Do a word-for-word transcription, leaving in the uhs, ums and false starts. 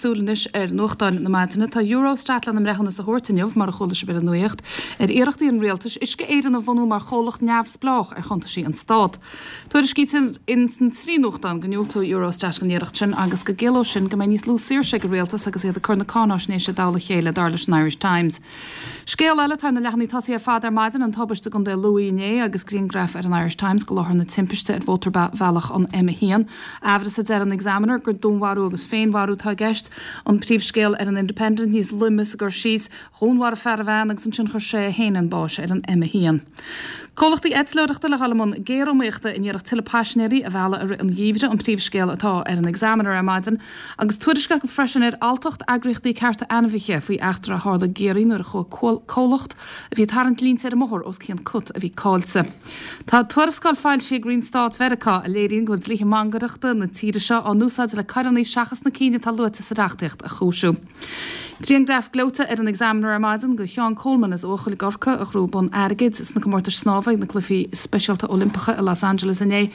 súil anois ar nuachtáin na maidine, tá Eurostat lena mbreithiúnas a thabhairt inniu mar a chuala sibh ar an nuacht ar iarrachtaí an rialtais Uisce Éireann a bhunú mar chomhlacht neamhspleách ar chuntaisí an stát. Tuairiscítear in san trí nuachtán go ndiúltóidh Eurostat don iarracht sin agus go gciallódh sin go mbeidh níos lú saoirse ag an rialtas agus iad ag cur na cáinaisnéise i dtoll a chéile dar leis an Irish Times. Scéal eile ar na leathanaigh tosaigh ar fad ar maidin an tubaiste i gContae Lú inné agus grianghraf ar an Irish Times de láthair na timpiste ar mhótarbhealach an M a haon. Amhras a deir an Examiner gur dúnmharú agus féinmharú atá i gceist an príomhscéal ar an Independent níos loime sa gcur síos dhúnmharaigh fear bean agus ansin chuir sé é féin chun báis ar an M a haon. Comhlachtaí eitleoireachta le dhul i mbun géariomaíochta in iarracht tuilleadh paisinéirí a mhealladh i rith an gheimhridh an príomhscéal atá ar an Examiner ar maidin, agus tuairisc acu freisin ar alltacht eagraíochtaí cearta ainmhithe faoi eachtra a tharla i gCiarraí nuair a chuaigh comhlacht a bhí tarraingt línte ar an mbóthar os cionn cut a bhí caillte. Tá tuarascáil foilsithe ag Roinn Stáit Mheiriceá a léiríonn go bhfuil dlíthe mangaireachta na tíre seo á n-úsáid le coireanna seachas na cinn atá luaite sa reachtaíocht a chúiseamh. Grianghraf gleoite ar an Examiner ar maidin de Sheán Coleman as Eochaill i gCorcaigh a ghnóthaigh bonn airgid sna comórtais snámha ag na Cluichí Speisialta Oilimpeacha i Los Angeles inné.